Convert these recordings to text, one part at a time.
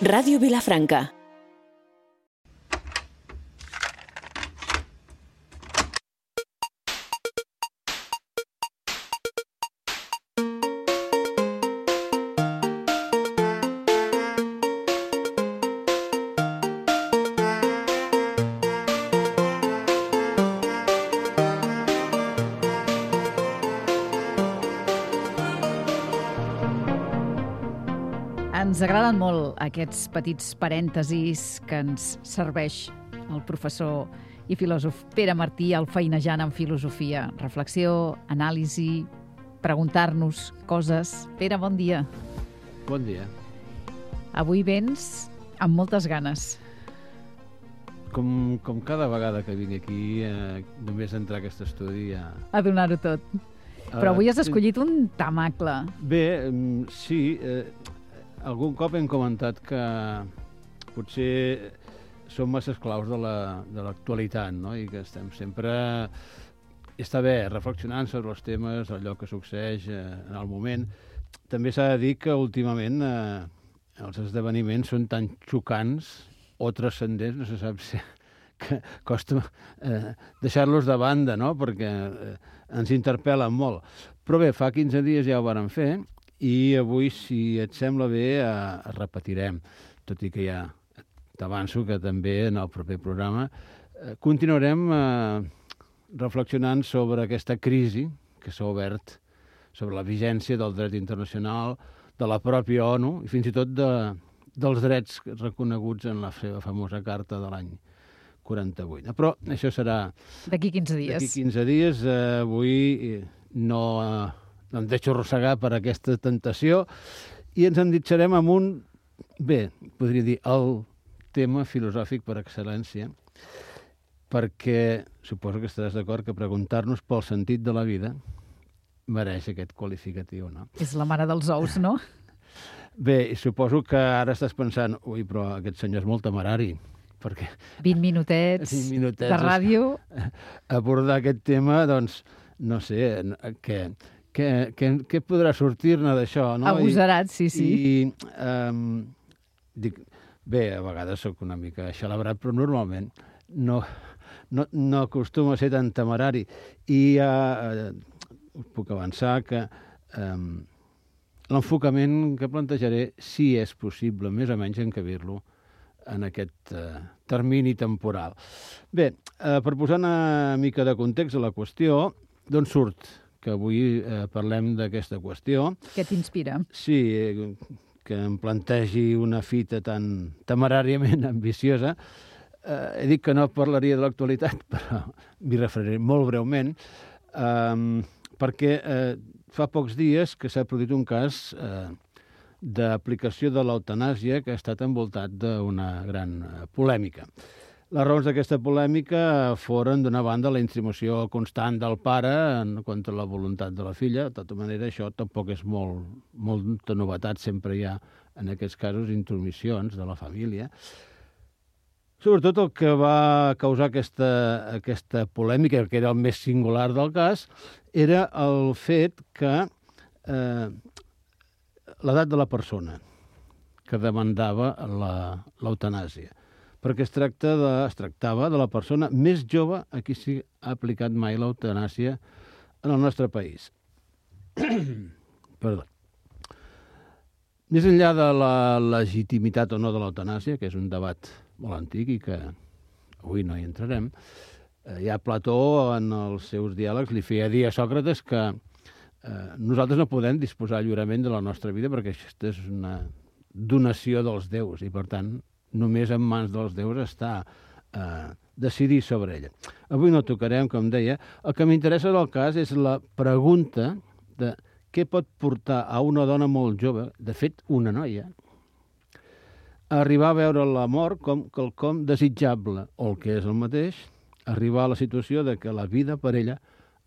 Ràdio Vilafranca. Ens agraden molt aquests petits parèntesis que ens serveix el professor i filòsof Pere Martí al Feinejant en Filosofia. Reflexió, anàlisi, preguntar-nos coses. Pere, bon dia. Bon dia. Avui vens amb moltes ganes. Com cada vegada que vinc aquí, només entrar a aquest estudi ja... A donar-ho tot. Però avui has escollit un tamacle. Bé, sí... Algun cop hem comentat que potser som massa esclaus de l'actualitat, no? I que estem sempre... Està bé, reflexionant sobre els temes, allò que succeeix en el moment. També s'ha de dir que últimament els esdeveniments són tan xocants o transcendents, no se sap si... que costa deixar-los de banda, no? Perquè ens interpel·len molt. Però bé, fa 15 dies ja ho vàrem fer, i avui, si et sembla bé, repetirem, tot i que ja t'avanço que també en el proper programa continuarem reflexionant sobre aquesta crisi que s'ha obert sobre la vigència del dret internacional, de la pròpia ONU i fins i tot dels drets reconeguts en la seva famosa carta de l'any 48. Però això serà... D'aquí 15 dies. D'aquí 15 dies. Avui no em deixo arrossegar per aquesta tentació i ens enditxarem amb un, bé, podria dir, el tema filosòfic per excel·lència, perquè suposo que estaràs d'acord que preguntar-nos pel sentit de la vida mereix aquest qualificatiu, no? És la mare dels ous, no? Bé, suposo que ara estàs pensant, ui, però aquest senyor és molt temerari, perquè... 20 minutets de ràdio. Abordar aquest tema, doncs, no sé, què podrà sortir-ne d'això, no? Agosarat, sí. Dic, bé, a vegades sóc una mica xalabrat, però normalment no acostuma a ser tan temerari. I us puc avançar que l'enfocament que plantejaré, si és possible, més o menys encabir-lo en aquest termini temporal. Bé, per posar una mica de context a la qüestió, d'on surt que avui parlem d'aquesta qüestió. Què t'inspira? Sí, que em plantegi una fita tan temeràriament ambiciosa. He dit que no parlaria de l'actualitat, però m'hi referiré molt breument, perquè fa pocs dies que s'ha produït un cas d'aplicació de l'eutanàsia que ha estat envoltat d'una gran polèmica. Les raons d'aquesta polèmica foren, d'una banda, la insinuació constant del pare contra la voluntat de la filla. De tota manera, això tampoc és molta novetat. Sempre hi ha, en aquests casos, intromissions de la família. Sobretot el que va causar aquesta polèmica, que era el més singular del cas, era el fet que l'edat de la persona que demandava l'eutanàsia, perquè es tractava de la persona més jove a qui s'ha aplicat mai l'eutanàsia en el nostre país. Perdó. Més enllà de la legitimitat o no de l'eutanàsia, que és un debat molt antic i que avui no hi entrarem, ja Plató, en els seus diàlegs, li feia dir a Sòcrates que nosaltres no podem disposar lliurement de la nostra vida perquè aquesta és una donació dels déus i, per tant, només en mans dels déus està decidir sobre ella. Avui no tocarem, com deia. El que m'interessa del cas és la pregunta de què pot portar a una dona molt jove, de fet, una noia, a arribar a veure la mort com quelcom desitjable, o el que és el mateix, arribar a la situació de que la vida per ella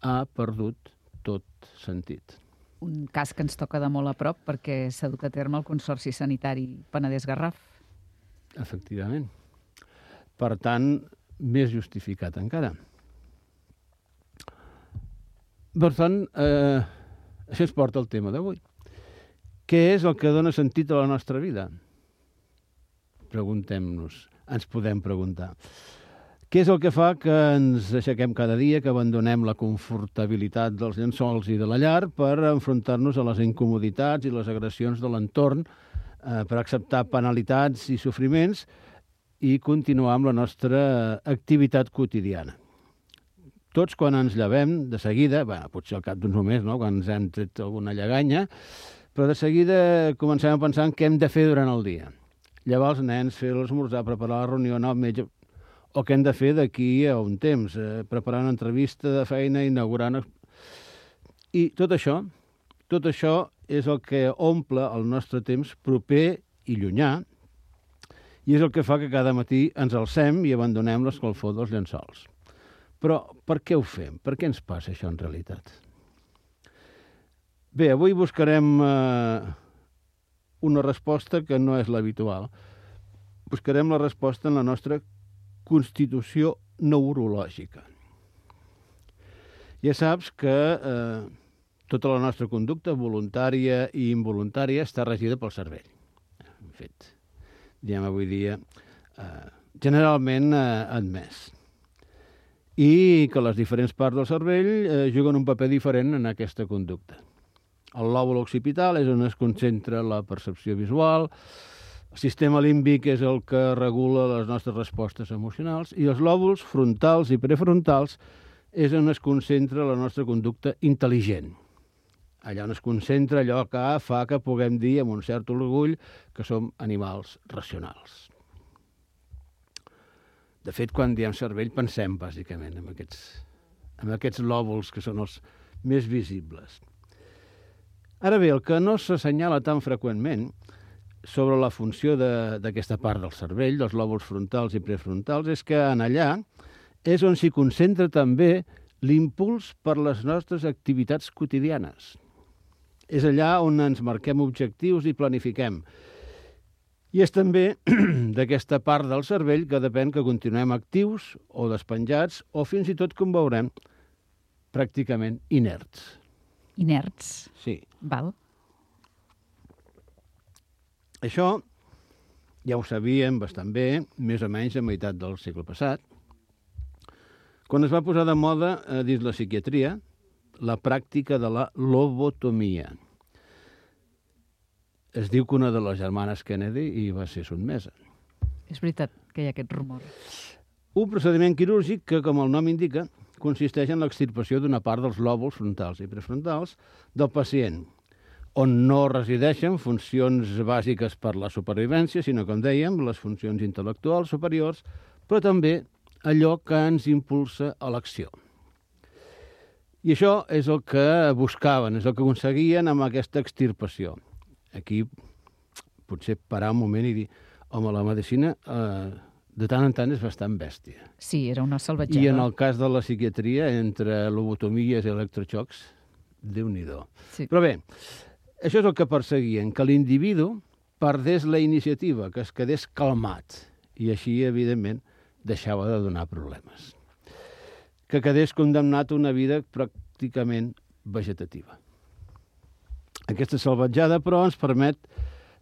ha perdut tot sentit. Un cas que ens toca de molt a prop perquè s'ha dut a terme el Consorci Sanitari Penedès-Garraf. Efectivament. Per tant, més justificat encara. Per tant, això ens porta al tema d'avui. Què és el que dona sentit a la nostra vida? preguntem-nos, ens podem preguntar. Què és el que fa que ens aixequem cada dia, que abandonem la confortabilitat dels llençols i de la llar per enfrontar-nos a les incomoditats i les agressions de l'entorn, per acceptar penalitats i sofriments i continuar amb la nostra activitat quotidiana? Tots, quan ens llevem, de seguida, potser al cap d'uns moments, no?, quan ens hem tret alguna lleganya, però de seguida comencem a pensar en què hem de fer durant el dia. Llevar els nens, fer l'esmorzar, preparar la reunió, anar al metge, o què hem de fer d'aquí a un temps, preparar una entrevista de feina, inaugurar... I tot això és el que omple el nostre temps proper i llunyà, i és el que fa que cada matí ens alcem i abandonem l'escalfor dels llençols. Però per què ho fem? Per què ens passa això en realitat? Bé, avui buscarem una resposta que no és l'habitual. Buscarem la resposta en la nostra constitució neurològica. Ja saps que tota la nostra conducta, voluntària i involuntària, està regida pel cervell. En fet, diem avui dia, generalment admès. I que les diferents parts del cervell juguen un paper diferent en aquesta conducta. El lòbul occipital és on es concentra la percepció visual, el sistema límbic és el que regula les nostres respostes emocionals i els lòbuls frontals i prefrontals és on es concentra la nostra conducta intel·ligent. Allà on es concentra allò que fa que puguem dir amb un cert orgull que som animals racionals. De fet, quan diem cervell pensem bàsicament en aquests lòbuls que són els més visibles. Ara bé, el que no s'assenyala tan freqüentment sobre la funció d'aquesta part del cervell, dels lòbuls frontals i prefrontals, és que en allà és on s'hi concentra també l'impuls per les nostres activitats quotidianes. És allà on ens marquem objectius i planifiquem. I és també d'aquesta part del cervell que depèn que continuem actius o despenjats o fins i tot, com veurem, pràcticament inerts. Inerts? Sí. Val. Això ja ho sabíem bastant bé, més o menys a meitat del segle passat, quan es va posar de moda dins la psiquiatria la pràctica de la lobotomia. Es diu que una de les germanes Kennedy hi va ser sotmesa. És veritat que hi ha aquest rumor. Un procediment quirúrgic que, com el nom indica, consisteix en l'extirpació d'una part dels lòbuls frontals i prefrontals del pacient, on no resideixen funcions bàsiques per la supervivència, sinó, com dèiem, les funcions intel·lectuals superiors, però també allò que ens impulsa a l'acció. I això és el que buscaven, és el que aconseguien amb aquesta extirpació. Aquí potser parar un moment i dir, home, la medicina de tant en tant és bastant bèstia. Sí, era una salvatjada. I en el cas de la psiquiatria, entre lobotomies i electroxocs, Déu-n'hi-do. Sí. Però bé, això és el que perseguien, que l'individu perdés la iniciativa, que es quedés calmat, i així, evidentment, deixava de donar problemes. Que quedés condemnat a una vida pràcticament vegetativa. Aquesta salvatjada, però, ens permet,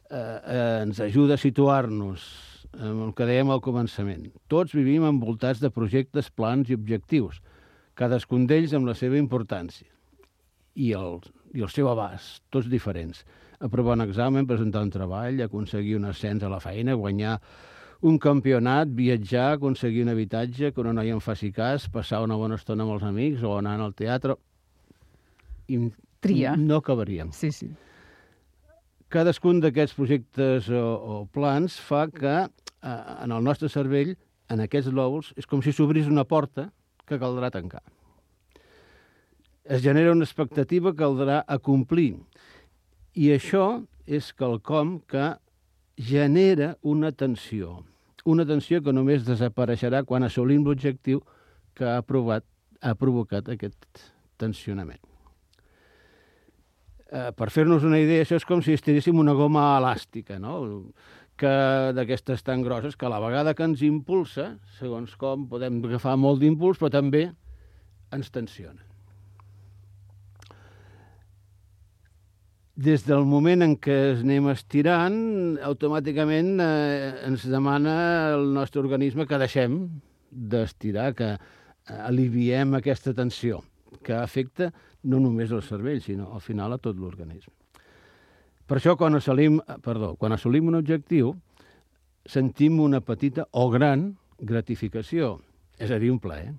ens ajuda a situar-nos en el que dèiem al començament. Tots vivim envoltats de projectes, plans i objectius, cadascun d'ells amb la seva importància i el seu abast, tots diferents. Aprovar un examen, presentar un treball, aconseguir un ascens a la feina, guanyar un campionat, viatjar, aconseguir un habitatge, que una noia en faci cas, passar una bona estona amb els amics o anar al teatre. Tria. No acabaríem. Sí, sí. Cadascun d'aquests projectes o plans fa que en el nostre cervell, en aquests lòbuls, és com si s'obrís una porta que caldrà tancar. Es genera una expectativa que caldrà acomplir. I això és quelcom que genera una tensió que només desapareixerà quan assolim l'objectiu que ha provocat aquest tensionament. Per fer-nos una idea, això és com si estiréssim una goma elàstica, no? Que d'aquestes tan grosses que a la vegada que ens impulsa, segons com podem agafar molt d'impuls, però també ens tensiona. des del moment en què es anem estirant, automàticament ens demana el nostre organisme que deixem d'estirar, que aliviem aquesta tensió, que afecta no només el cervell, sinó al final a tot l'organisme. Per això, quan assolim un objectiu, sentim una petita o gran gratificació, és a dir, un plaer,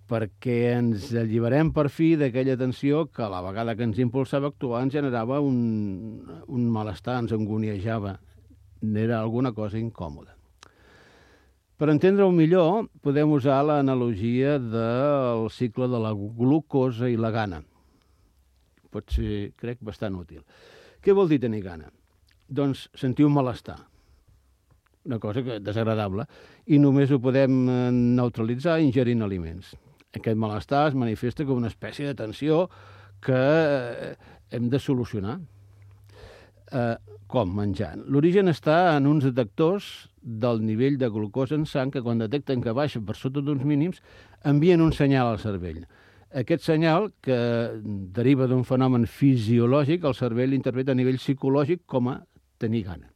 perquè ens alliberem per fi d'aquella tensió que a la vegada que ens impulsava a actuar ens generava un malestar, ens angoniejava, era alguna cosa incòmoda. Per entendre-ho millor, podem usar l'analogia del cicle de la glucosa i la gana. Pot ser, crec, bastant útil. Què vol dir tenir gana? Doncs sentir un malestar, una cosa desagradable, i només ho podem neutralitzar ingerint aliments. Aquest malestar es manifesta com una espècie de tensió que hem de solucionar. Com? Menjant. L'origen està en uns detectors del nivell de glucosa en sang que quan detecten que baixa per sota d'uns mínims envien un senyal al cervell. Aquest senyal, que deriva d'un fenomen fisiològic, el cervell l'interpreta a nivell psicològic com a tenir gana.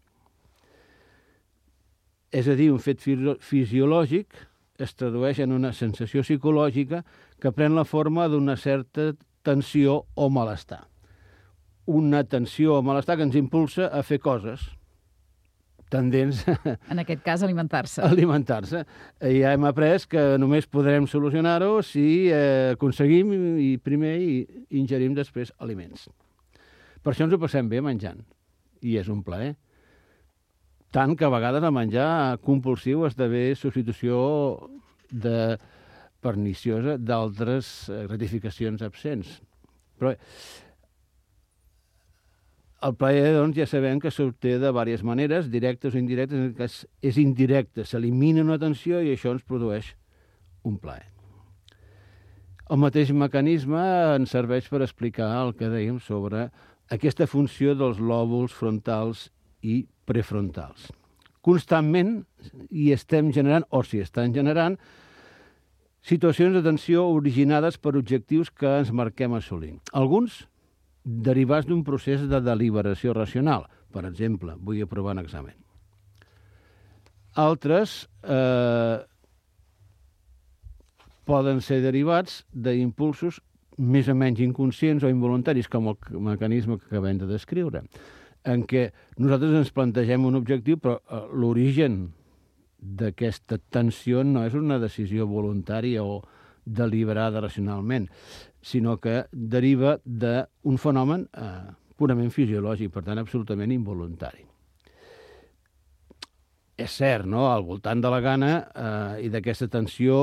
És a dir, un fet fisiològic es tradueix en una sensació psicològica que pren la forma d'una certa tensió o malestar. Una tensió o malestar que ens impulsa a fer coses tendents en aquest cas, alimentar-se. Alimentar-se. Ja hem après que només podrem solucionar-ho si aconseguim i primer ingerim després aliments. Per això ens ho passem bé menjant. I és un plaer. Tant que a vegades el menjar compulsiu esdevé substitució perniciosa d'altres gratificacions absents. Però el plaer, doncs, ja sabem que s'obté de diverses maneres, directes o indirectes. En aquest cas és indirecte, s'elimina una tensió i això ens produeix un plaer. El mateix mecanisme ens serveix per explicar el que dèiem sobre aquesta funció dels lòbuls frontals i prefrontals. Constantment hi estem generant, o s'hi estan generant, situacions de tensió originades per objectius que ens marquem assolir. Alguns derivats d'un procés de deliberació racional. Per exemple, vull aprovar un examen. Altres poden ser derivats d'impulsos més o menys inconscients o involuntaris, com el mecanisme que acabem de descriure, en què nosaltres ens plantegem un objectiu, però l'origen d'aquesta tensió no és una decisió voluntària o deliberada racionalment, sinó que deriva d'un fenomen purament fisiològic, per tant, absolutament involuntari. És cert, no?, al voltant de la gana i d'aquesta tensió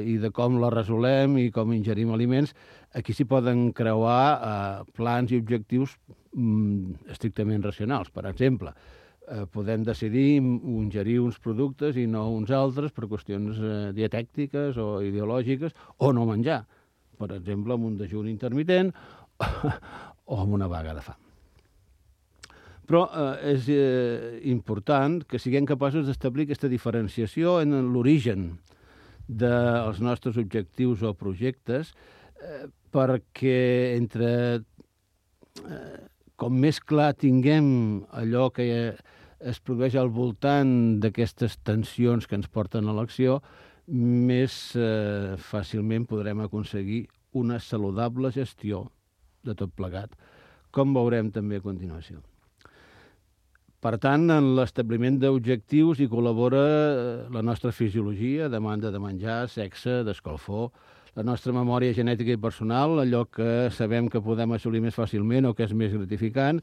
i de com la resolem i com ingerim aliments, aquí s'hi poden creuar plans i objectius estrictament racionals. Per exemple, podem decidir ingerir uns productes i no uns altres per qüestions dietèctiques o ideològiques, o no menjar, per exemple, amb un dejú intermitent o amb una vaga de fam. Però és important que siguem capaços d'establir aquesta diferenciació en l'origen dels nostres objectius o projectes, perquè com més clar tinguem allò que es produeix al voltant d'aquestes tensions que ens porten a l'acció, més fàcilment podrem aconseguir una saludable gestió de tot plegat, com veurem també a continuació. Per tant, en l'establiment d'objectius hi col·labora la nostra fisiologia, demanda de menjar, sexe, d'escalfor, la nostra memòria genètica i personal, allò que sabem que podem assolir més fàcilment o que és més gratificant,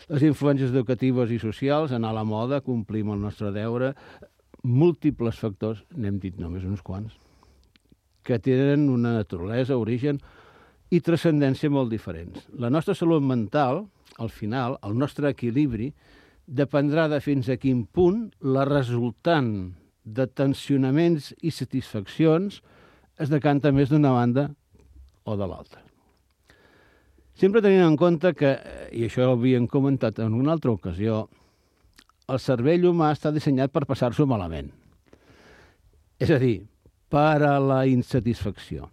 les influències educatives i socials, anar a la moda, complir amb el nostre deure, múltiples factors, n'hem dit només uns quants, que tenen una naturalesa, origen i transcendència molt diferents. La nostra salut mental, al final, el nostre equilibri, dependrà de fins a quin punt la resultant de tensionaments i satisfaccions es decanta més d'una banda o de l'altra. Sempre tenint en compte que, i això ho havíem comentat en una altra ocasió, el cervell humà està dissenyat per passar-s'ho malament. És a dir, per a la insatisfacció.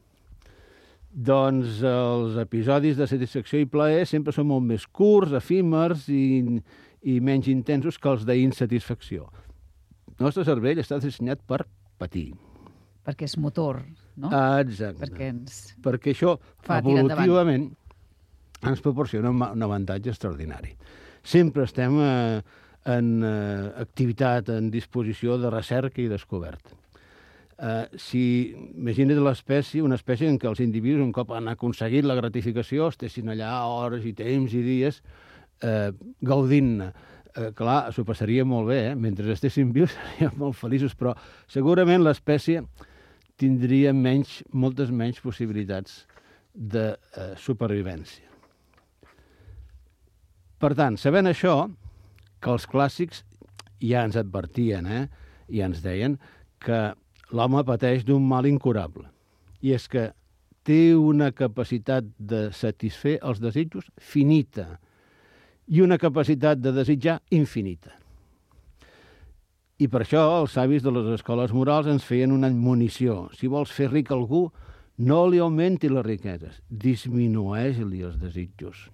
Doncs els episodis de satisfacció i plaer sempre són molt més curts, efímers i menys intensos que els d'insatisfacció. El nostre cervell està dissenyat per patir. Perquè és motor, no? Exacte. Perquè perquè això, fa tirar evolutivament, ens proporciona un avantatge extraordinari. Sempre estem en activitat, en disposició de recerca i descoberta. Imagina't una espècie en què els individus, un cop han aconseguit la gratificació, estessin allà hores i temps i dies gaudint-ne. Clar, s'ho passaria molt bé, mentre estessin vius seríem molt feliços, però segurament l'espècie tindria moltes menys possibilitats de supervivència. Per tant, sabent això, que els clàssics ja ens advertien, ja ens deien que l'home pateix d'un mal incurable. I és que té una capacitat de satisfer els desitjos finita i una capacitat de desitjar infinita. I per això els savis de les escoles morals ens feien una admonició. Si vols fer ric algú, no li augmenti les riqueses, disminueix-li els desitjos.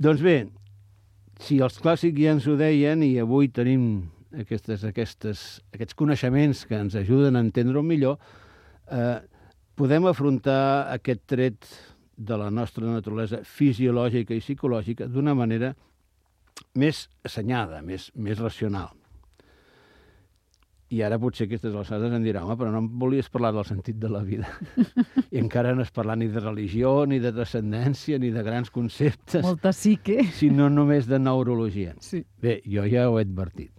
Doncs bé, si els clàssics ja ens ho deien i avui tenim aquests coneixements que ens ajuden a entendre-ho millor, podem afrontar aquest tret de la nostra naturalesa fisiològica i psicològica d'una manera més assenyada, més racional. I ara potser aquestes alçades em dirà, home, però no em volies parlar del sentit de la vida. I encara no has parlat ni de religió, ni de transcendència, ni de grans conceptes. Molta psique. Sinó només de neurologia. Sí. Bé, jo ja ho he advertit.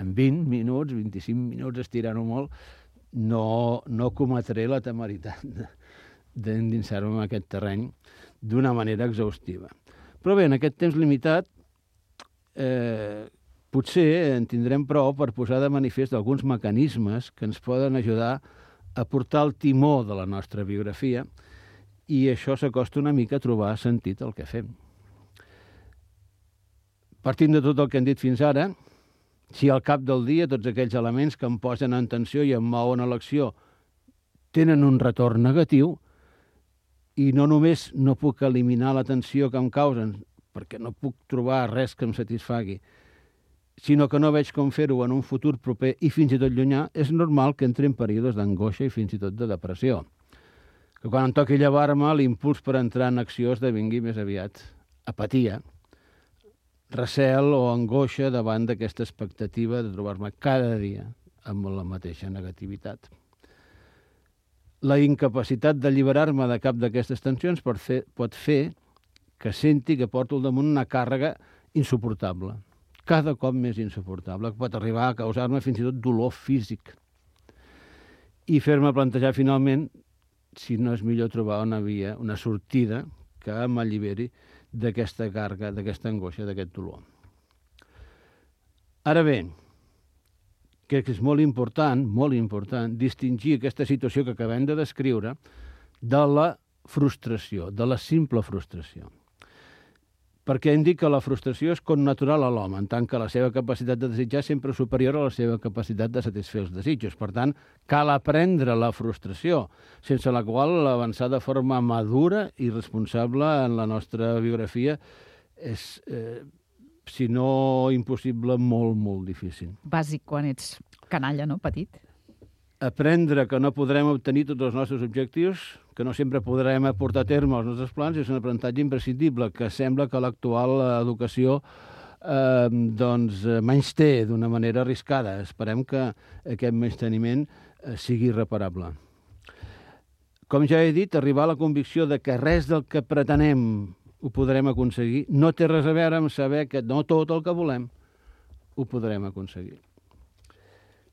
En 20 minuts, 25 minuts, estirant-ho molt, no cometré la temeritat d'endinsar-me en aquest terreny d'una manera exhaustiva. Però bé, en aquest temps limitat, potser en tindrem prou per posar de manifest alguns mecanismes que ens poden ajudar a portar el timó de la nostra biografia i això s'acosta una mica a trobar sentit al que fem. Partint de tot el que hem dit fins ara, si al cap del dia tots aquells elements que em posen en tensió i em mouen a l'acció tenen un retorn negatiu i no només no puc eliminar la tensió que em causen perquè no puc trobar res que em satisfagui, sinó que no veig com fer-ho en un futur proper i fins i tot llunyà, és normal que entri en períodes d'angoixa i fins i tot de depressió. Que quan em toqui llevar-me, l'impuls per entrar en acció esdevingui més aviat apatia, recel o angoixa davant d'aquesta expectativa de trobar-me cada dia amb la mateixa negativitat. La incapacitat d'alliberar-me de cap d'aquestes tensions pot fer que senti que porto al damunt una càrrega insuportable, cada cop més insuportable, que pot arribar a causar-me fins i tot dolor físic i fer-me plantejar finalment si no és millor trobar una via, una sortida que m'alliberi d'aquesta càrrega, d'aquesta angoixa, d'aquest dolor. Ara bé, crec que és molt important, distingir aquesta situació que acabem de descriure de la frustració, de la simple frustració. Perquè hem dit que la frustració és connatural a l'home, en tant que la seva capacitat de desitjar sempre és superior a la seva capacitat de satisfer els desitjos. Per tant, cal aprendre la frustració, sense la qual avançar de forma madura i responsable en la nostra biografia és, si no impossible, molt, molt difícil. Bàsic quan ets canalla, no? Petit. Aprendre que no podrem obtenir tots els nostres objectius, que no sempre podrem aportar a terme els nostres plans, és un aprenentatge imprescindible, que sembla que l'actual educació menysté d'una manera arriscada. Esperem que aquest menysteniment sigui irreparable. Com ja he dit, arribar a la convicció de que res del que pretenem ho podrem aconseguir no té res a veure amb saber que no tot el que volem ho podrem aconseguir.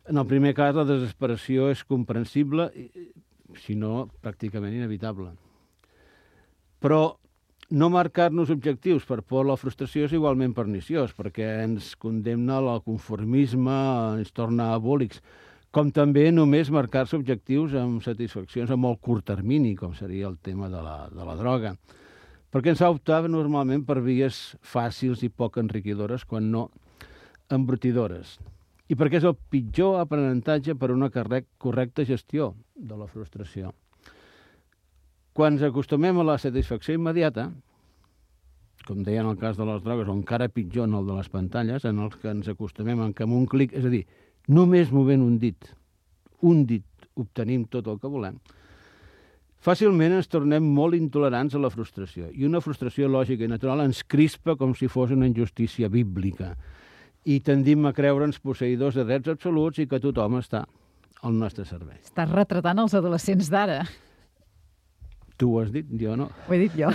En el primer cas, la desesperació és comprensible, si no, pràcticament inevitable. Però no marcar-nos objectius per por a la frustració és igualment perniciós, perquè ens condemna al conformisme, ens torna abòlics, com també només marcar-se objectius amb satisfaccions a molt curt termini, com seria el tema de la droga, perquè ens ha optat normalment per vies fàcils i poc enriquidores, quan no embrutidores. I perquè és el pitjor aprenentatge per a una correcta gestió de la frustració. Quan ens acostumem a la satisfacció immediata, com deia en el cas de les drogues, o encara pitjor en el de les pantalles, en els que ens acostumem en què amb un clic, és a dir, només movent un dit obtenim tot el que volem, fàcilment ens tornem molt intolerants a la frustració. I una frustració lògica i natural ens crispa com si fos una injustícia bíblica. I tendim a creure'ns posseïdors de drets absoluts i que tothom està al nostre servei. Estàs retratant els adolescents d'ara. Tu ho has dit, jo no. Ho he dit jo.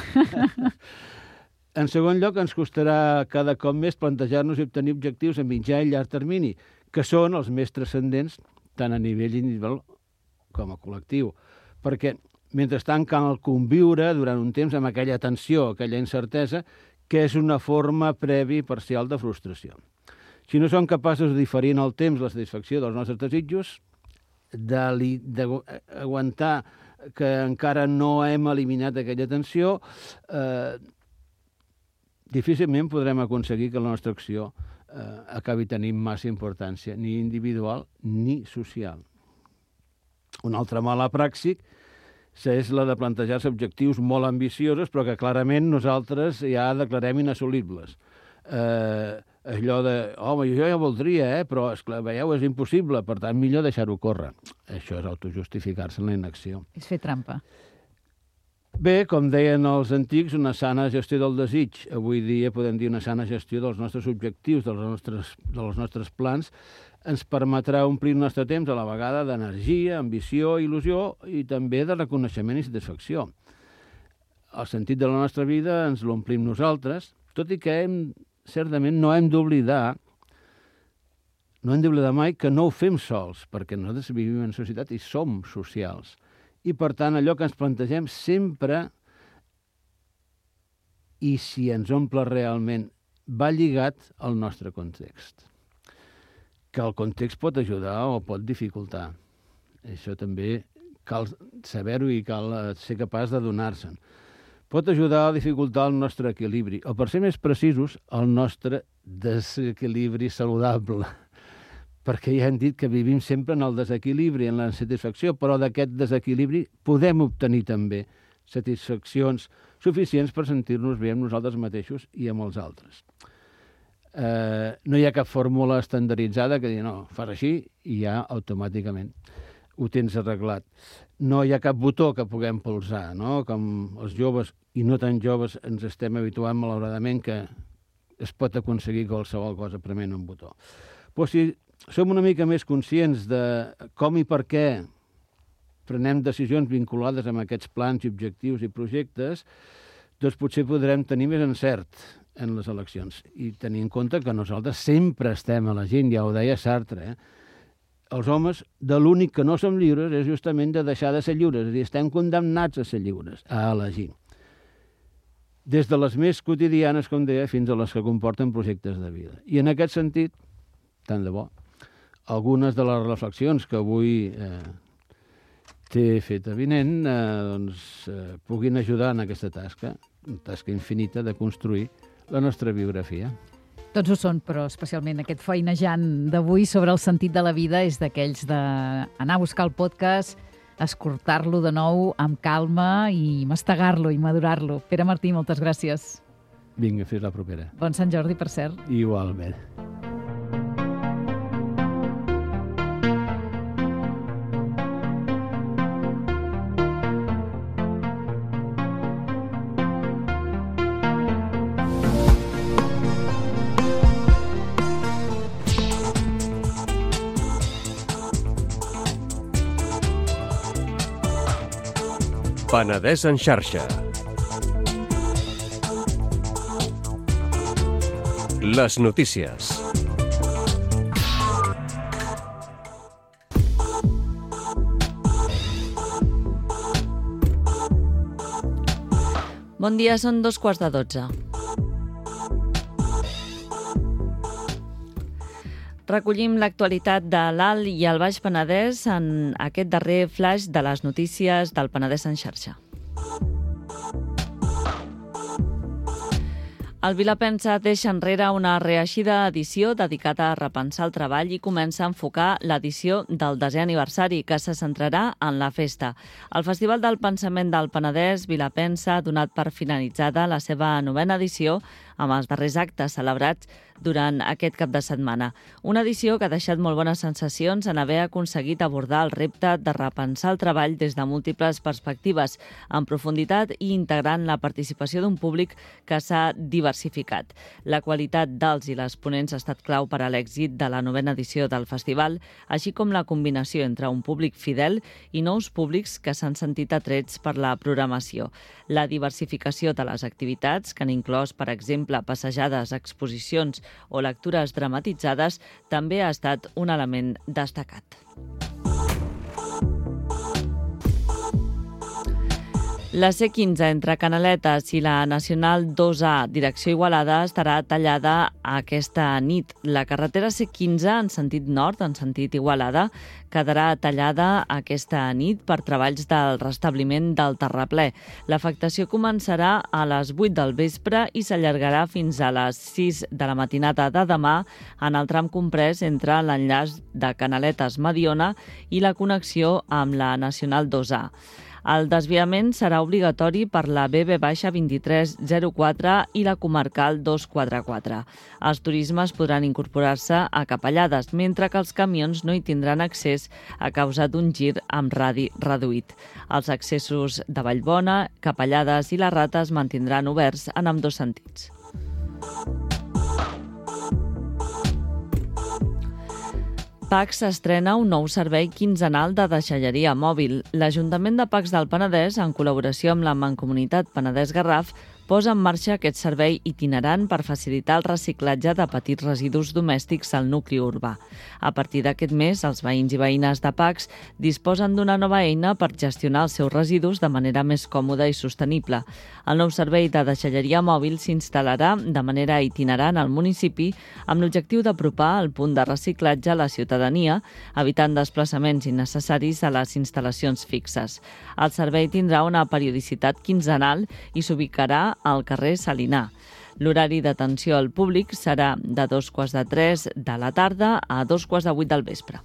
En segon lloc, ens costarà cada cop més plantejar-nos i obtenir objectius a mitjà i llarg termini, que són els més transcendents tant a nivell individual com a col·lectiu. Perquè, mentrestant, cal conviure durant un temps amb aquella tensió, aquella incertesa, que és una forma prèvia i parcial de frustració. Si no som capaços de diferir en el temps la satisfacció dels nostres desitjos, d'aguantar que encara no hem eliminat aquella tensió, difícilment podrem aconseguir que la nostra acció acabi tenint massa importància, ni individual ni social. Una altra mala praxi és la de plantejar-se objectius molt ambiciosos, però que clarament nosaltres ja declarem inassolibles. Allò de, home, jo ja voldria, però esclar, veieu, és impossible, per tant, millor deixar-ho córrer. Això és autojustificar-se en la inacció. És fer trampa. Bé, com deien els antics, una sana gestió del desig. Avui dia podem dir una sana gestió dels nostres objectius, dels nostres plans, ens permetrà omplir el nostre temps a la vegada d'energia, ambició, il·lusió i també de reconeixement i satisfacció. El sentit de la nostra vida ens l'omplim nosaltres, tot i que certament no hem d'oblidar mai que no ho fem sols, perquè nosaltres vivim en societat i som socials. I, per tant, allò que ens plantegem sempre, i si ens omple realment, va lligat al nostre context. Que el context pot ajudar o pot dificultar. Això també cal saber-ho i cal ser capaç de donar-se'n. Pot ajudar a dificultar el nostre equilibri, o, per ser més precisos, el nostre desequilibri saludable. Perquè ja hem dit que vivim sempre en el desequilibri, en la insatisfacció, però d'aquest desequilibri podem obtenir també satisfaccions suficients per sentir-nos bé amb nosaltres mateixos i amb els altres. No hi ha cap fórmula estandarditzada que digui, no, fas així i ja automàticament ho tens arreglat. No hi ha cap botó que puguem polsar, no? Com els joves i no tan joves ens estem habituant malauradament que es pot aconseguir qualsevol cosa prement un botó. Però si som una mica més conscients de com i per què prenem decisions vinculades amb aquests plans i objectius i projectes, doncs potser podrem tenir més encert en les eleccions i tenir en compte que nosaltres sempre estem elegint, ja ho deia Sartre, Els homes, de l'únic que no som lliures és justament de deixar de ser lliures, és a dir, estem condemnats a ser lliures, a elegir. Des de les més quotidianes, com deia, fins a les que comporten projectes de vida. I en aquest sentit, tant de bo, algunes de les reflexions que avui t'he fet avinent puguin ajudar en aquesta tasca, una tasca infinita de construir la nostra biografia. Tots ho són, però especialment aquest feinejant d'avui sobre el sentit de la vida és d'aquells d'anar a buscar el podcast, escoltar-lo de nou amb calma i mastegar-lo i madurar-lo. Pere Martí, moltes gràcies. Vinga, fins la propera. Bon Sant Jordi, per cert. Igualment. Penedès en xarxa. Les notícies. Bon dia, són 2:15. Recollim l'actualitat de l'Alt i el Baix Penedès en aquest darrer flaix de les notícies del Penedès en xarxa. El Vilapensa deixa enrere una reeixida edició dedicada a repensar el treball i comença a enfocar l'edició del 10è aniversari, que se centrarà en la festa. El Festival del Pensament del Penedès, Vilapensa, ha donat per finalitzada la seva 9a edició amb els darrers actes celebrats durant aquest cap de setmana. Una edició que ha deixat molt bones sensacions en haver aconseguit abordar el repte de repensar el treball des de múltiples perspectives, en profunditat i integrant la participació d'un públic que s'ha diversificat. La qualitat dels i les ponents ha estat clau per a l'èxit de la 9a edició del festival, així com la combinació entre un públic fidel i nous públics que s'han sentit atrets per la programació. La diversificació de les activitats, que han inclòs, per exemple, passejades, exposicions o lectures dramatitzades, també ha estat un element destacat. La C15 entre Canaletes i la Nacional 2A, direcció Igualada, estarà tallada aquesta nit. La carretera C15 en sentit nord, en sentit Igualada, quedarà tallada aquesta nit per treballs del restabliment del terraplè. L'afectació començarà a les 8 del vespre i s'allargarà fins a les 6 de la matinada de demà en el tram comprès entre l'enllaç de Canaletes-Mediona i la connexió amb la Nacional 2A. El desviament serà obligatori per la BB-2304 i la comarcal 244. Els turismes podran incorporar-se a Capellades, mentre que els camions no hi tindran accés a causa d'un gir amb radi reduït. Els accessos de Vallbona, Capellades i la Rata es mantindran oberts en ambdós sentits. Pacs estrena un nou servei quinzenal de deixalleria mòbil. L'Ajuntament de Pacs del Penedès, en col·laboració amb la Mancomunitat Penedès-Garraf, posa en marxa aquest servei itinerant per facilitar el reciclatge de petits residus domèstics al nucli urbà. A partir d'aquest mes, els veïns i veïnes de Pacs disposen d'una nova eina per gestionar els seus residus de manera més còmoda i sostenible. El nou servei de deixalleria mòbil s'instal·larà de manera itinerant al municipi amb l'objectiu d'apropar el punt de reciclatge a la ciutadania, evitant desplaçaments innecessaris a les instal·lacions fixes. El servei tindrà una periodicitat quinzenal i s'ubicarà al carrer Salinar. L'horari d'atenció al públic serà de 2:45 de la tarda a 2:45 del vespre.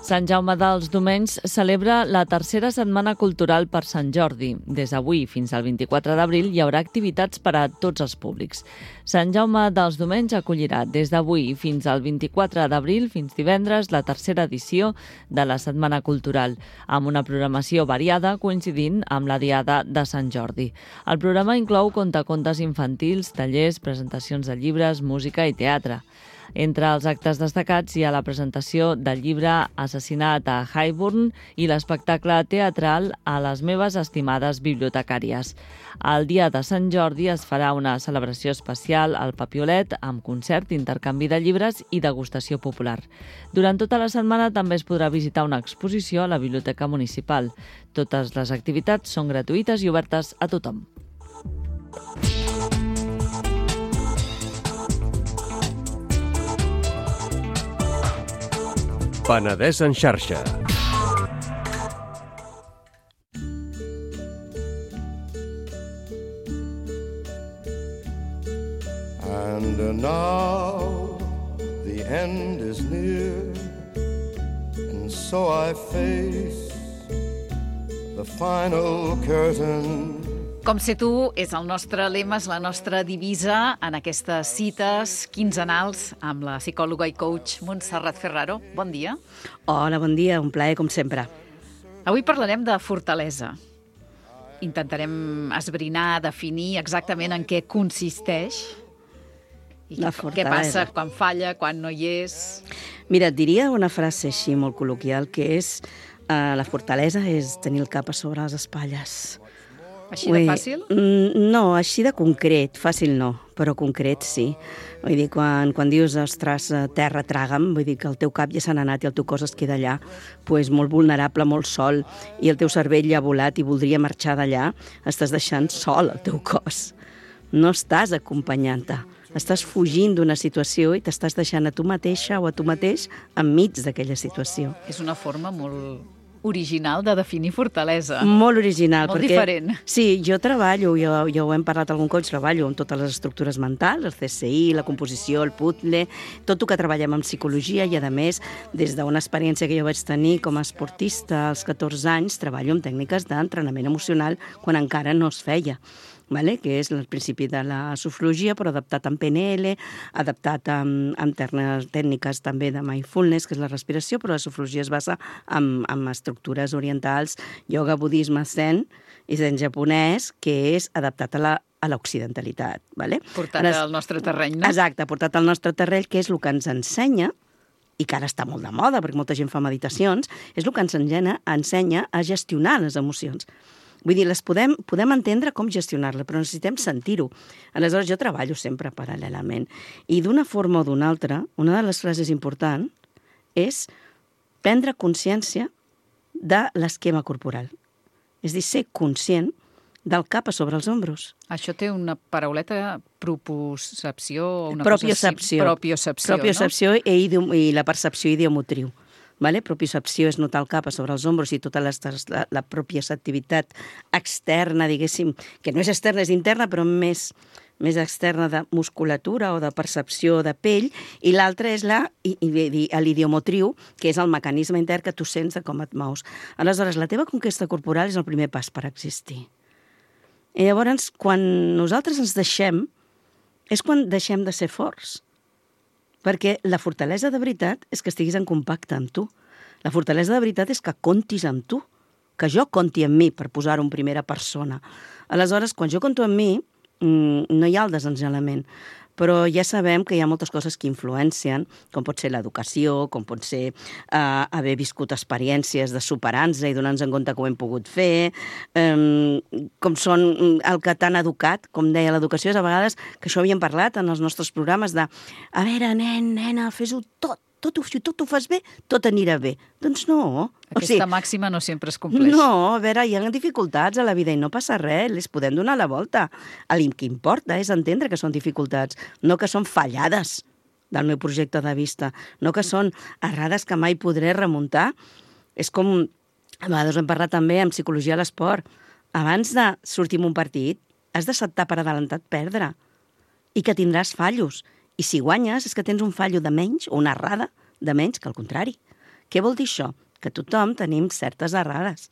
Sant Jaume dels Domenys celebra la tercera setmana cultural per Sant Jordi. Des d'avui fins al 24 d'abril hi haurà activitats per a tots els públics. Sant Jaume dels Domenys acollirà des d'avui fins al 24 d'abril, fins divendres, la tercera edició de la Setmana Cultural, amb una programació variada coincidint amb la Diada de Sant Jordi. El programa inclou contacontes infantils, tallers, presentacions de llibres, música i teatre. Entre els actes destacats hi ha la presentació del llibre Assassinat a Highburn i l'espectacle teatral A les meves estimades bibliotecàries. El dia de Sant Jordi es farà una celebració especial al Papiolet amb concert, intercanvi de llibres i degustació popular. Durant tota la setmana també es podrà visitar una exposició a la Biblioteca Municipal. Totes les activitats són gratuïtes i obertes a tothom. Penedès en xarxa. And now the end is near, and so I face the final curtain. Com ser tu és el nostre lema, és la nostra divisa en aquestes cites quinzenals amb la psicòloga i coach Montserrat Ferraro. Bon dia. Hola, bon dia, un plaer com sempre. Avui parlarem de fortalesa. Intentarem esbrinar, definir exactament en què consisteix i què passa quan falla, quan no hi és. Mira, et diria una frase així molt col·loquial, que és la fortalesa és tenir el cap a sobre les espatlles. Així de fàcil? No, així de concret. Fàcil no, però concret sí. Vull dir, quan dius, ostres, terra, traga'm, vull dir que el teu cap ja se n'ha anat i el teu cos es queda allà, doncs molt vulnerable, molt sol, i el teu cervell ja ha volat i voldria marxar d'allà, estàs deixant sol el teu cos. No estàs acompanyant-te. Estàs fugint d'una situació i t'estàs deixant a tu mateixa o a tu mateix enmig d'aquella situació. És una forma molt original de definir fortalesa. Molt original. Molt perquè, diferent. Sí, jo treballo, ja ho hem parlat algun cop, treballo amb totes les estructures mentals, el CSI, la composició, el puzzle, tot el que treballem en psicologia i, a més, des d'una experiència que jo vaig tenir com a esportista als 14 anys, treballo amb tècniques d'entrenament emocional quan encara no es feia. Vale? Que és el principi de la sofrologia, però adaptat en PNL, adaptat amb tècniques també de mindfulness, que és la respiració, però la sofrologia es basa en estructures orientals, yoga, budisme, zen i zen japonès, que és adaptat a l'occidentalitat. Vale? Portat al nostre terreny, no? Exacte, portat al nostre terreny, que és el que ens ensenya, i que ara està molt de moda, perquè molta gent fa meditacions, és el que ens ensenya a gestionar les emocions. Vull dir, les podem entendre com gestionar-la, però necessitem sentir-ho. Aleshores, jo treballo sempre paral·lelament. I d'una forma o d'una altra, una de les frases importants és prendre consciència de l'esquema corporal. És a dir, ser conscient del cap a sobre els ombros. Això té una parauleta, propriocepció, una propiocepció. Cosa així. Propiocepció, no? I la percepció idiomotriu. Vale? Propiocepció és notar el cap a sobre els ombros i tota la propioceptivitat externa, diguéssim, que no és externa, és interna, però més externa de musculatura o de percepció de pell, i l'altra és l'idiomotriu, que és el mecanisme intern que tu sents de com et mous. Aleshores, la teva conquesta corporal és el primer pas per existir. I llavors, quan nosaltres ens deixem, és quan deixem de ser forts. Perquè la fortalesa de veritat és que estiguis en compacte amb tu. La fortalesa de veritat és que comptis amb tu, que jo compti amb mi, per posar-ho en primera persona. Aleshores, quan jo compto amb mi, no hi ha el desengelament. Però ja sabem que hi ha moltes coses que influencien, com pot ser l'educació, com pot ser haver viscut experiències de superar-nos i donar-nos en compte que ho hem pogut fer, com són el que t'han educat, com deia l'educació, és a vegades, que això havíem parlat en els nostres programes de a veure, nen, nena, fes-ho tot, si tot ho fas bé, tot anirà bé. Doncs no. Aquesta màxima no sempre es compleix. No, a veure, hi ha dificultats a la vida i no passa res, les podem donar la volta. El que importa és entendre que són dificultats, no que són fallades del meu projecte de vista, no que són errades que mai podré remuntar. És com, a vegades hem parlat també en psicologia de l'esport, abans de sortir en un partit, has d'acceptar per adelantat perdre i que tindràs fallos. I si guanyes és que tens un fallo de menys o una errada de menys que el contrari. Què vol dir això? Que tothom tenim certes errades.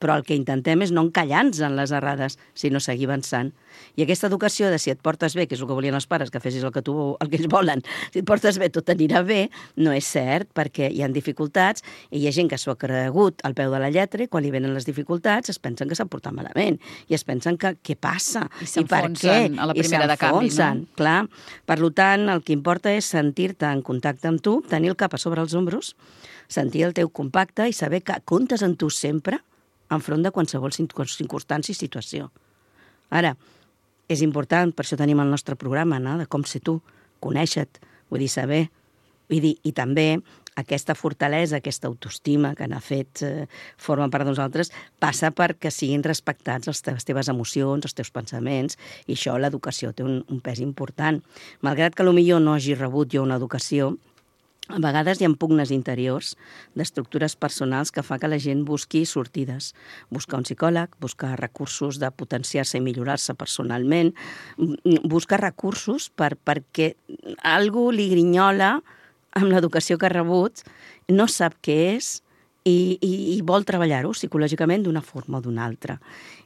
Però el que intentem és no encallar-nos en les errades, sinó seguir avançant. I aquesta educació de si et portes bé, que és el que volien els pares, que fessis el que ells volen, si et portes bé tot anirà bé, no és cert, perquè hi ha dificultats i hi ha gent que s'ho ha cregut al peu de la lletra i quan li venen les dificultats es pensen que s'han portat malament i es pensen que què passa i s'enfonsen a la primera de canvi, no? Clar. Per tant, el que importa és sentir-te en contacte amb tu, tenir el cap a sobre els ombros, sentir el teu compacte i saber que comptes en tu sempre enfront de qualsevol circumstància i situació. Ara, és important, per això tenim el nostre programa, no?, de com ser tu, conèixer-te, vull dir, saber, i també aquesta fortalesa, aquesta autoestima que n'ha fet, forma part de nosaltres, passa perquè siguin respectats les teves emocions, els teus pensaments, i això l'educació té un pes important. Malgrat que potser no hagi rebut jo una educació, a vegades hi ha pugnes interiors d'estructures personals que fa que la gent busqui sortides. Buscar un psicòleg, buscar recursos de potenciar-se i millorar-se personalment, buscar recursos perquè algú li grinyola amb l'educació que ha rebut, no sap què és i vol treballar-ho psicològicament d'una forma o d'una altra.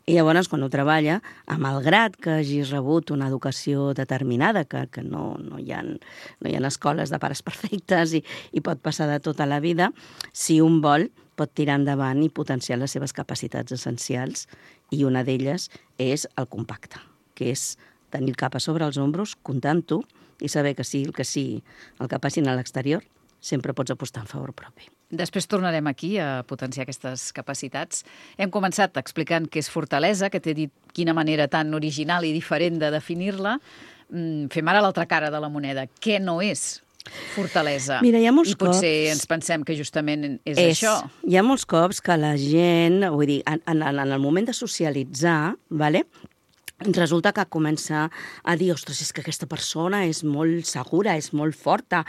I llavors, quan ho treballa, malgrat que hagis rebut una educació determinada, que no hi ha escoles de pares perfectes i pot passar de tota la vida, si un vol, pot tirar endavant i potenciar les seves capacitats essencials, i una d'elles és el compacte, que és tenir el cap a sobre els ombros, comptar amb tu, i saber que sigui el que passin a l'exterior, sempre pots apostar en favor propi. Després tornarem aquí a potenciar aquestes capacitats. Hem començat explicant què és fortalesa, que t'he dit quina manera tan original i diferent de definir-la. Fem ara l'altra cara de la moneda. Què no és fortalesa? Mira, hi ha molts cops... I potser ens pensem que justament és això. Hi ha molts cops que la gent, vull dir, en el moment de socialitzar, vale? resulta que comença a dir, ostres, és que aquesta persona és molt segura, és molt forta,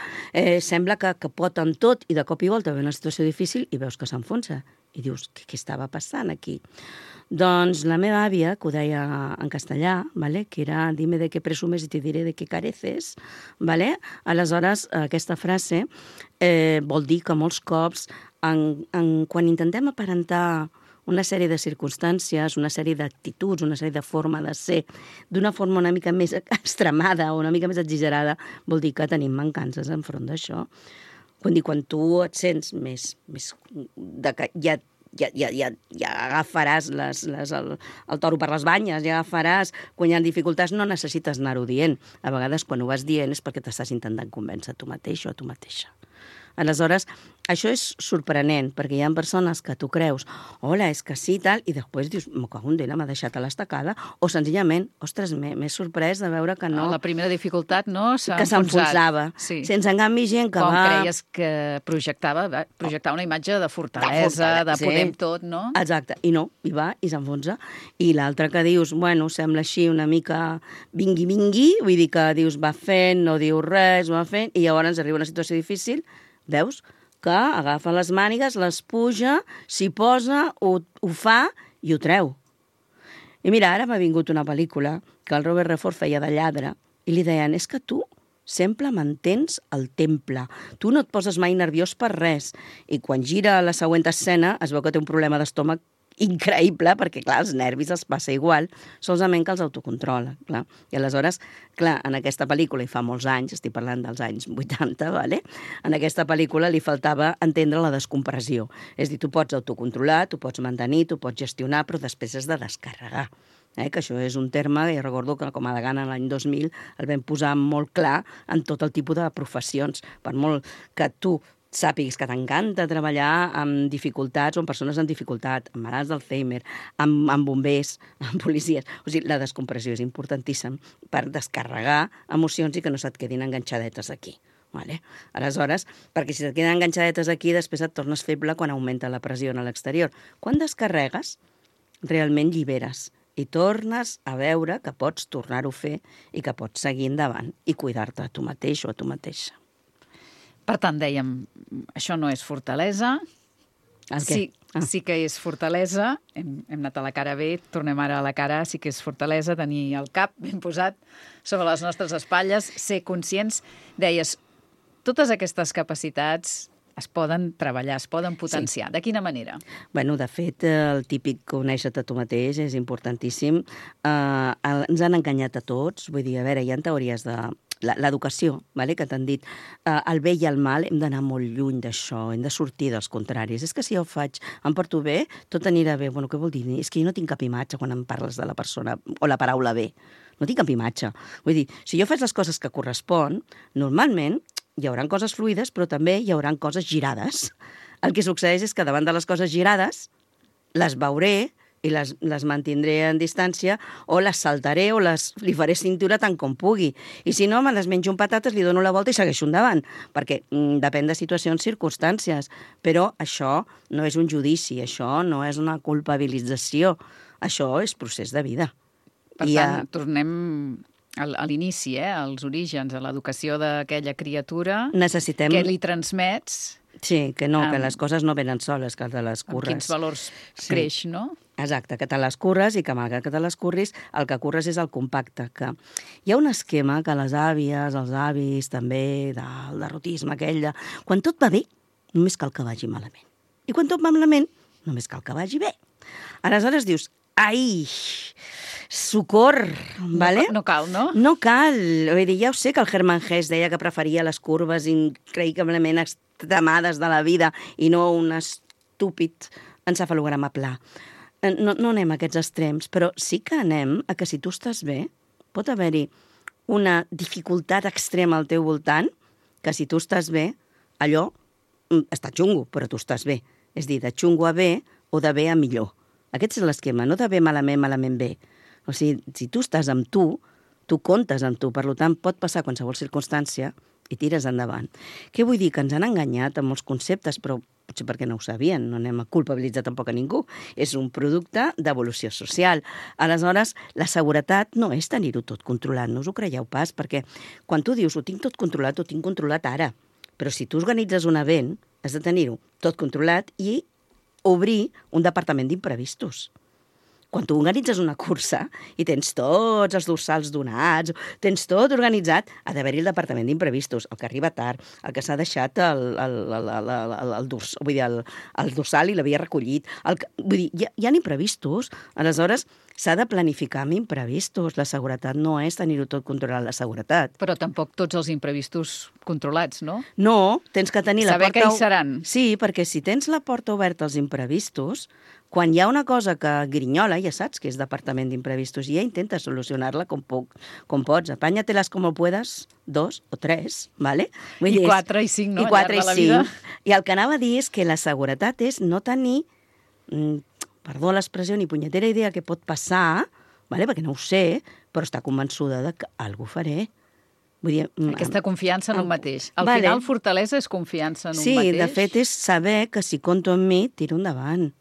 sembla que pot amb tot, i de cop i volta ve una situació difícil i veus que s'enfonsa. I dius, què estava passant aquí? Doncs la meva àvia, que ho deia en castellà, ¿vale? Que era dime de què presumes i te diré de què careces, ¿vale? Aleshores, aquesta frase vol dir que molts cops, quan intentem aparentar una sèrie de circumstàncies, una sèrie d'actituds, una sèrie de forma de ser, d'una forma una mica més extremada o una mica més exagerada, vol dir que tenim mancances enfront d'això. Quan tu et sents més ja agafaràs el toro per les banyes, ja agafaràs, quan hi ha dificultats no necessites anar-ho dient. A vegades quan ho vas dient és perquè t'estàs intentant convèncer a tu mateix o a tu mateixa. Aleshores, això és sorprenent, perquè hi ha persones que tu creus, hola, és que sí, tal, i després dius, me cago en Déu, m'ha deixat a l'estacada, o senzillament, ostres, m'he sorprès de veure que no... La primera dificultat, no? Que s'enfonsava. Sí. Sense en canvi gent que com creies que projectava una imatge de fortalesa, de podem tot, no? Exacte, i no, hi va i s'enfonsa. I l'altre que dius, bueno, sembla així una mica vingui, vull dir que dius, va fent, no diu res, va fent, i llavors arriba una situació difícil. Veus? Que agafa les mànigues, les puja, s'hi posa, ho fa i ho treu. I mira, ara m'ha vingut una pel·lícula que el Robert Redford feia de lladre i li deien, és que tu sempre mantens el temple. Tu no et poses mai nerviós per res. I quan gira la següent escena es veu que té un problema d'estómac increïble, perquè, clar, els nervis els passa igual, solament que els autocontrola, clar. I aleshores, clar, en aquesta pel·lícula, i fa molts anys, estic parlant dels anys 80, ¿vale? En aquesta pel·lícula li faltava entendre la descompressió. És a dir, tu pots autocontrolar, tu pots mantenir, tu pots gestionar, però després has de descarregar. Que això és un terme que jo recordo que com a degana l'any 2000 el vam posar molt clar en tot el tipus de professions. Per molt que tu sàpigues que t'encanta treballar amb dificultats o amb persones amb dificultat, amb malalts d'Alzheimer, amb bombers, amb policies. O sigui, la descompressió és importantíssima per descarregar emocions i que no se't quedin enganxadetes aquí. Vale? Aleshores, perquè si et queden enganxadetes aquí, després et tornes feble quan augmenta la pressió a l'exterior. Quan descarregues, realment lliberes i tornes a veure que pots tornar-ho a fer i que pots seguir endavant i cuidar-te a tu mateix o a tu mateixa. Per tant, dèiem, això no és fortalesa, sí que és fortalesa, hem anat a la cara B, tornem ara a la cara, sí que és fortalesa, tenir el cap ben posat sobre les nostres espatlles, ser conscients. Deies, totes aquestes capacitats es poden treballar, es poden potenciar. Sí. De quina manera? Bueno, de fet, el típic conèixer-te tu mateix és importantíssim. Ens han enganyat a tots, vull dir, a veure, hi ha teories de l'educació, vale? Que t'han dit el bé i el mal, hem d'anar molt lluny d'això, hem de sortir dels contraris. És que si jo faig, em porto bé, tot anirà bé. Bueno, què vol dir? És que jo no tinc cap imatge quan em parles de la persona o la paraula bé. No tinc cap imatge. Vull dir, si jo faig les coses que correspon, normalment hi haurà coses fluides, però també hi haurà coses girades. El que succeeix és que davant de les coses girades les veuré i les mantindré en distància o les saltaré o li faré cintura tant com pugui. I si no, me les menjo amb patates, li dono la volta i segueixo endavant, perquè depèn de situacions, circumstàncies. Però això no és un judici, això no és una culpabilització, això és procés de vida. Per tant, tornem a l'inici, als orígens, a l'educació d'aquella criatura. Necessitem... Què li transmets? Sí, que no, que les coses no venen soles, que te les curres. Amb quins valors creix, no? Exacte, que te les curres i que malgrat que te les curris, el que curres és el compacte. Que hi ha un esquema que les àvies, els avis, també, del derrotisme aquell, quan tot va bé, només cal que vagi malament. I quan tot va malament, només cal que vagi bé. Aleshores dius, ai, socor, vale? No cal, no? No cal. Vull dir, ja ho sé que el Hermann Hesse deia que preferia les curves increïblement extremades de la vida i no un estúpid encefalograma pla. No anem a aquests extrems, però sí que anem a que si tu estàs bé, pot haver-hi una dificultat extrema al teu voltant, que si tu estàs bé, allò està xungo, però tu estàs bé. És dir, de xungo a bé o de bé a millor. Aquest és l'esquema, no de bé malament, malament bé. O sigui, si tu estàs amb tu comptes amb tu, per tant, pot passar qualsevol circumstància i tires endavant. Què vull dir? Que ens han enganyat amb molts conceptes, però potser perquè no ho sabien, no anem a culpabilitzar tampoc a ningú, és un producte d'evolució social. Aleshores, la seguretat no és tenir-ho tot controlat, no us ho creieu pas, perquè quan tu dius ho tinc tot controlat, ho tinc controlat ara, però si tu organitzes un event, has de tenir-ho tot controlat i obrir un departament d'imprevistos. Quan tu organitzes una cursa i tens tots els dorsals donats, tens tot organitzat, ha d'haver-hi el departament d'imprevistos, el que arriba tard, el que s'ha deixat el dorsal i l'havia recollit. Vull dir, hi ha imprevistos, aleshores s'ha de planificar amb imprevistos. La seguretat no és tenir-ho tot controlat, la seguretat. Però tampoc tots els imprevistos controlats, no? No, tens que tenir la porta... Saber que hi seran. Sí, perquè si tens la porta oberta als imprevistos, quan hi ha una cosa que grinyola, ja saps que és departament d'imprevistos, i ja intenta solucionar-la com pots. Apanya-te-les com puedes, 2 o 3, ¿vale? I 4 i 5, no? I 4 i 5. I el que anava a dir és que la seguretat és no tenir, perdó l'expressió, ni punyetera idea que pot passar, ¿vale? Perquè no ho sé, però està convençuda de que alguna cosa faré. Vull dir, aquesta confiança en un mateix. Al final, fortalesa és confiança en un mateix. Sí, de fet, és saber que si compto en mi, tiro endavant.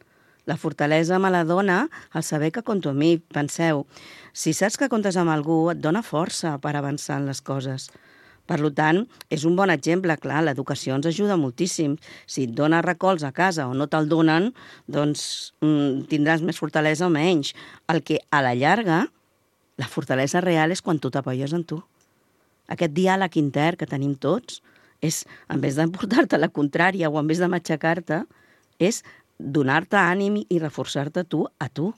La fortalesa me la dona el saber que compto amb mi. Penseu, si saps que comptes amb algú, et dona força per avançar en les coses. Per tant, és un bon exemple. Clar, l'educació ens ajuda moltíssim. Si et dona recolz a casa o no te'l donen, doncs tindràs més fortalesa o menys. El que, a la llarga, la fortalesa real és quan tu t'apoies en tu. Aquest diàleg intern que tenim tots és, en vez de portar-te la contrària o en vez de matxacar-te, és donar-te ànim i reforçar-te tu a tu.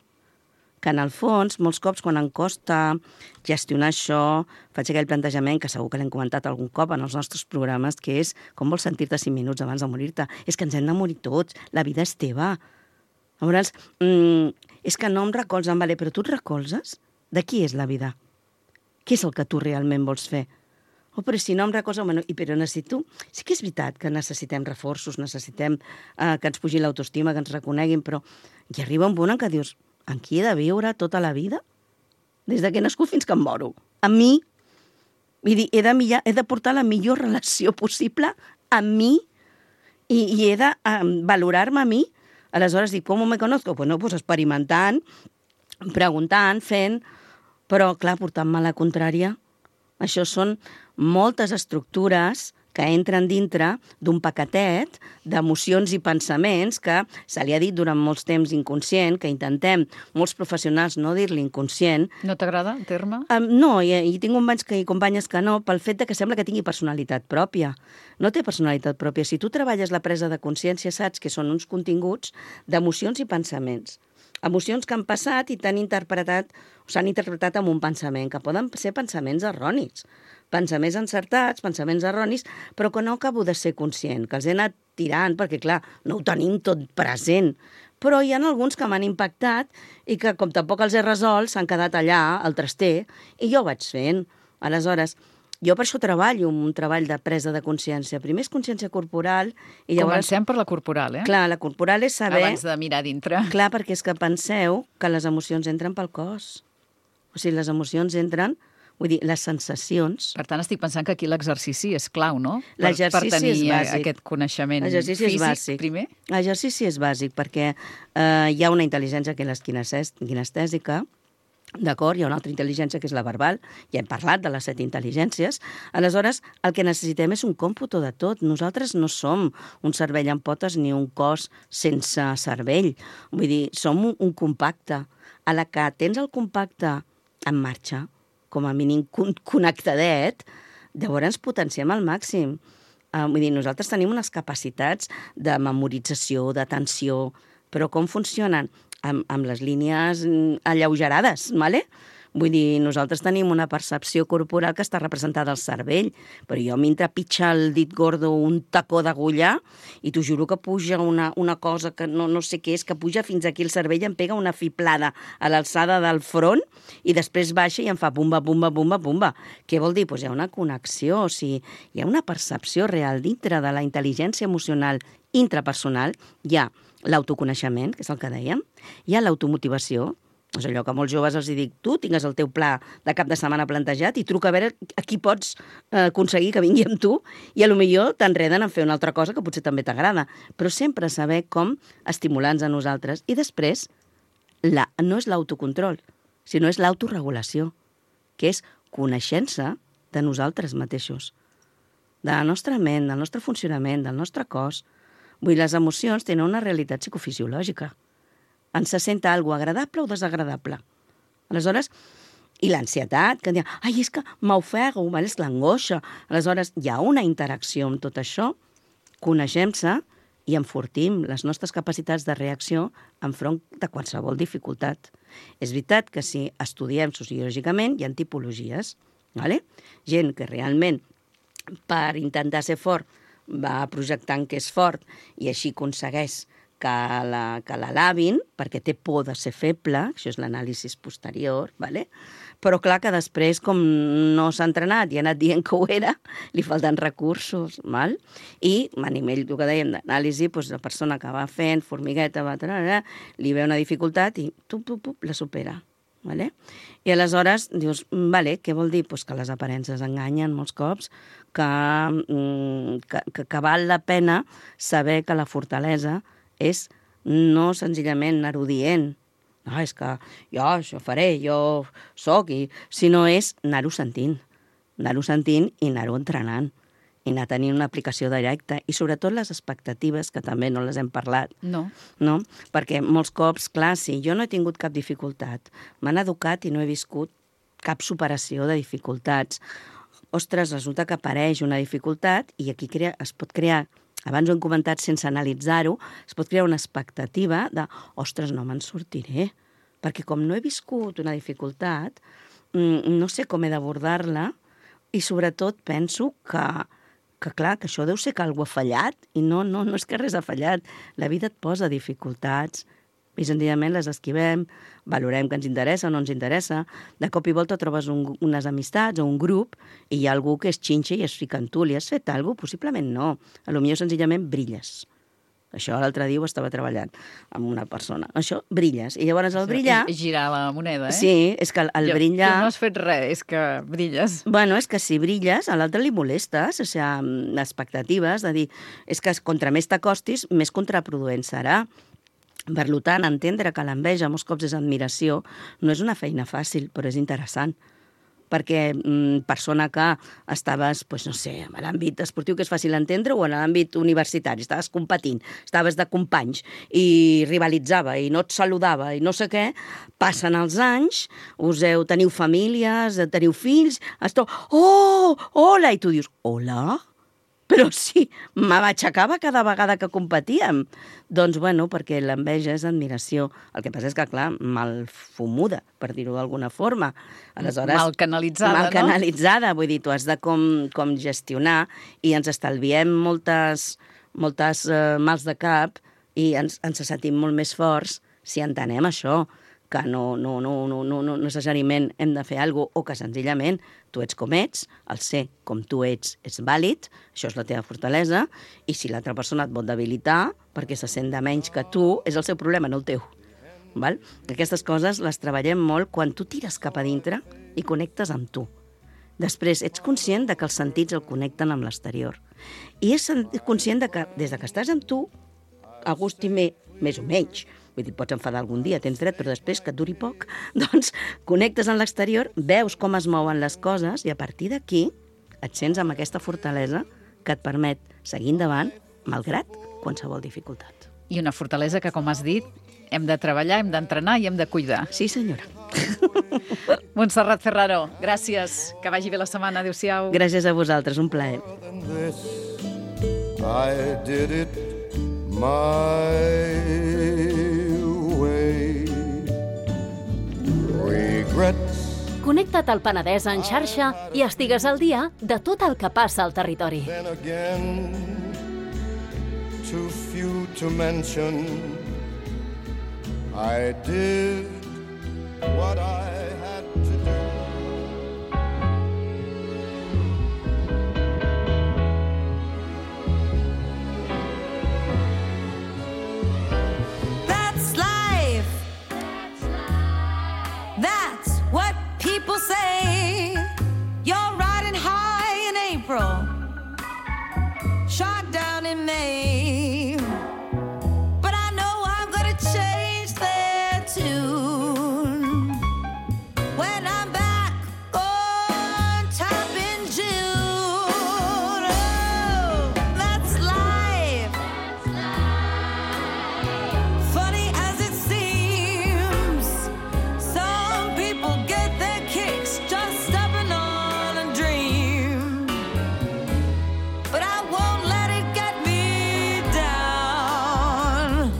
Que en el fons, molts cops, quan em costa gestionar això, faig aquell plantejament que segur que l'hem comentat algun cop en els nostres programes, que és com vols sentir-te 5 minuts abans de morir-te. És que ens hem de morir tots, la vida és teva. Llavors, és que no em recolzen, vale, però tu et recolzes? De qui és la vida? Què és el que tu realment vols fer? Oh, però si no em recolza, bueno, però necessito... Sí que és veritat que necessitem reforços, necessitem que ens pugi l'autoestima, que ens reconeguin, però hi arriba un punt en què dius, amb qui he de viure tota la vida? Des que he nascut fins que em moro. Amb mi. Vull dir, he de portar la millor relació possible amb mi i he de valorar-me a mi. Aleshores dic, com me conozco? Bueno, pues experimentant, preguntant, fent, però clar, portant-me la contrària. Això són moltes estructures que entren dintre d'un paquetet d'emocions i pensaments que se li ha dit durant molts temps inconscient, que intentem, molts professionals, no dir-li inconscient. No t'agrada el terme? No, i tinc companys i companyes que no, pel fet que sembla que tingui personalitat pròpia. No té personalitat pròpia. Si tu treballes la presa de consciència, saps que són uns continguts d'emocions i pensaments. Emocions que han passat i s'han interpretat amb un pensament, que poden ser pensaments erronis, pensaments encertats, pensaments erronis, però que no acabo de ser conscient, que els he anat tirant, perquè clar, no ho tenim tot present. Però hi ha alguns que m'han impactat i que, com tampoc els he resolt, s'han quedat allà, al traster, i jo ho vaig fent. Aleshores, jo per això treballo un treball de presa de consciència. Primer és consciència corporal i llavors... Comencem per la corporal, eh? Clar, la corporal és saber... Abans de mirar dintre. Clar, perquè és que penseu que les emocions entren pel cos. O sigui, les emocions entren, vull dir, les sensacions... Per tant, estic pensant que aquí l'exercici és clau, no? L'exercici per tenir és bàsic. Aquest coneixement físic, primer? L'exercici és bàsic perquè hi ha una intel·ligència que és kinestèsica, d'acord? Hi ha una altra intel·ligència que és la verbal, ja hem parlat de les 7 intel·ligències. Aleshores, el que necessitem és un còmputo de tot. Nosaltres no som un cervell amb potes ni un cos sense cervell. Vull dir, som un compacte. A la que tens el compacte en marxa, com a mínim connectadet, llavors potenciem al màxim. Vull dir, nosaltres tenim unes capacitats de memorització, d'atenció, però com funcionen? Amb les línies alleugerades, ¿vale? Vull dir, nosaltres tenim una percepció corporal que està representada al cervell, però jo m'entra pitja el dit gordo un tacó d'agulla i t'ho juro que puja una cosa que no sé què és, que puja fins aquí el cervell, em pega una fiblada a l'alçada del front i després baixa i em fa bumba, bumba, bumba, bumba. Què vol dir? Doncs hi ha una connexió, o sigui, hi ha una percepció real dintre de la intel·ligència emocional intrapersonal. Hi ha l'autoconeixement, que és el que dèiem, hi ha l'automotivació, És allò que molts joves els dic, tu tingues el teu pla de cap de setmana plantejat i truca a veure a qui pots aconseguir que vingui amb tu i potser t'enreden en fer una altra cosa que potser també t'agrada. Però sempre saber com estimular-nos a nosaltres. I després, no és l'autocontrol, sinó és l'autoregulació, que és coneixença de nosaltres mateixos, de la nostra ment, del nostre funcionament, del nostre cos. Vull dir, les emocions tenen una realitat psicofisiològica. Ens se sent alguna agradable o desagradable. Aleshores, i l'ansietat, que diuen, ai, és que m'ofego, és l'angoixa. Aleshores, hi ha una interacció amb tot això, coneixem-se i enfortim les nostres capacitats de reacció enfront de qualsevol dificultat. És veritat que si estudiem sociològicament hi ha tipologies, ¿vale? Gent que realment per intentar ser fort va projectant que és fort i així aconsegueix que l'alabin, perquè té por de ser feble, això és l'anàlisi posterior, ¿vale? Però clar que després, com no s'ha entrenat i ha anat dient que ho era, li falten recursos, val? I a nivell, el que dèiem, d'anàlisi, doncs la persona que va fent, formigueta, li ve una dificultat i la supera. Vale? I aleshores dius, vale, què vol dir? Pues que les aparences enganyen molts cops, que val la pena saber que la fortalesa és no senzillament anar-ho dient, no, és que jo això faré, jo soc, sinó és anar-ho sentint i anar-ho entrenant i anar tenint una aplicació directa i sobretot les expectatives, que també no les hem parlat. No. Perquè molts cops, clar, si jo no he tingut cap dificultat, m'han educat i no he viscut cap superació de dificultats. Ostres, resulta que apareix una dificultat i aquí es pot crear, abans ho hem comentat sense analitzar-ho, es pot crear una expectativa de, ostres, no me'n sortiré, perquè com no he viscut una dificultat, no sé com he d'abordar-la i sobretot penso que clar, que això deu ser que algú ha fallat i no és que res ha fallat. La vida et posa dificultats i senzillament les esquivem, valorem que ens interessa o no ens interessa. De cop i volta trobes unes amistats o un grup i hi ha algú que és xinxa i es fica en tu. Li has fet alguna cosa? Possiblement no. Potser senzillament brilles. Això l'altre dia ho estava treballant amb una persona. Això, brilles. I llavors el brillar... Girar la moneda, eh? Sí, és que el brillar... Tu no has fet res, és que brilles. Bueno, és que si brilles, a l'altre li molestes, o sigui, expectatives, de dir, és que contra més t'acostis, més contraproduent serà. Per tant, entendre que l'enveja molts cops és admiració no és una feina fàcil, però és interessant. Perquè persona que estaves, no sé, en l'àmbit esportiu, que és fàcil entendre, o en l'àmbit universitari, estaves competint, estaves de companys i rivalitzava i no et saludava i no sé què, passen els anys, teniu famílies, teniu fills, hola, i tu dius, hola? Però sí, m'aixecava cada vegada que competíem. Doncs, perquè l'enveja és admiració. El que passa és que, clar, mal fumuda, per dir-ho d'alguna forma. Aleshores, mal canalitzada, mal canalitzada, vull dir, tu has de com gestionar i ens estalviem moltes mals de cap i ens sentim molt més forts si entenem això, que no necessàriament hem de fer alguna cosa, o que senzillament tu ets com ets, el ser com tu ets és vàlid, això és la teva fortalesa, i si l'altra persona et vol debilitar perquè se sent de menys que tu, és el seu problema, no el teu. Val? Aquestes coses les treballem molt quan tu tires cap a dintre i connectes amb tu. Després, ets conscient de que els sentits el connecten amb l'exterior. I és conscient de que des que estàs amb tu, a gust i més o menys, vull dir, pots enfadar algun dia, tens dret, però després que et duri poc, doncs connectes amb l'exterior, veus com es mouen les coses i a partir d'aquí et sents amb aquesta fortalesa que et permet seguir endavant malgrat qualsevol dificultat. I una fortalesa que, com has dit, hem de treballar, hem d'entrenar i hem de cuidar. Sí, senyora. Montserrat Ferraro, gràcies. Que vagi bé la setmana. Adéu-siau. Gràcies a vosaltres, un plaer. I did it my way. Regrets. Connecta't al Penedès en xarxa i estigues al dia de tot el que passa al territori. Then again, too few to mention, I did what I had to do. That's life. only May. But I know I'm gonna change their tune when I'm back on top in June. Oh, that's life. Funny as it seems, some people get their kicks just stepping on a dream. But I won't let it get me down,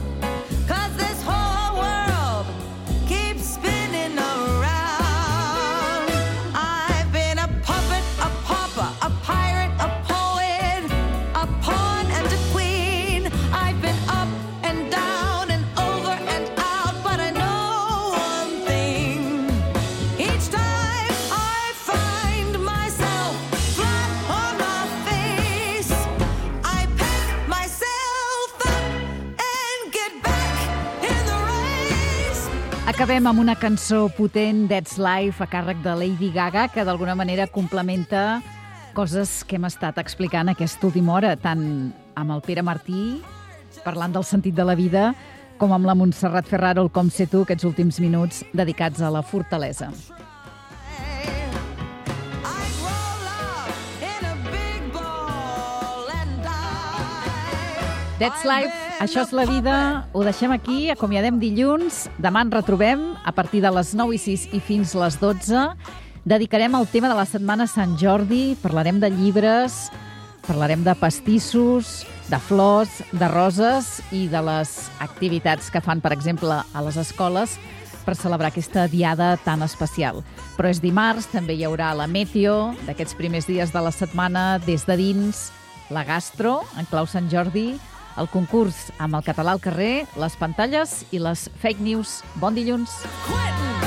'cause this whole world keeps spinning around. I've been a puppet, a pauper, a pirate, a poet, a pawn and a queen. I've been up and down and over and out, but I know one thing. Each time I find myself flat on my face, I pick myself up and get back in the race. Acabem amb una cançó potent, That's Life, a càrrec de Lady Gaga, que d'alguna manera complementa coses que hem estat explicant aquesta última hora, tant amb el Pere Martí, parlant del sentit de la vida, com amb la Montserrat Ferraro, el Com sé tu, aquests últims minuts dedicats a la fortalesa. I roll up in a big ball and die. That's Life, això és la vida. Ho deixem aquí, acomiadem dilluns. Demà ens retrobem a partir de les 9:06 i fins les 12. Dedicarem el tema de la setmana Sant Jordi, parlarem de llibres, parlarem de pastissos, de flors, de roses i de les activitats que fan, per exemple, a les escoles per celebrar aquesta diada tan especial. Però és dimarts, també hi haurà la Meteo d'aquests primers dies de la setmana des de dins, la Gastro, en clau Sant Jordi, el concurs amb el català al carrer, les pantalles i les fake news. Bon dilluns! Quitting.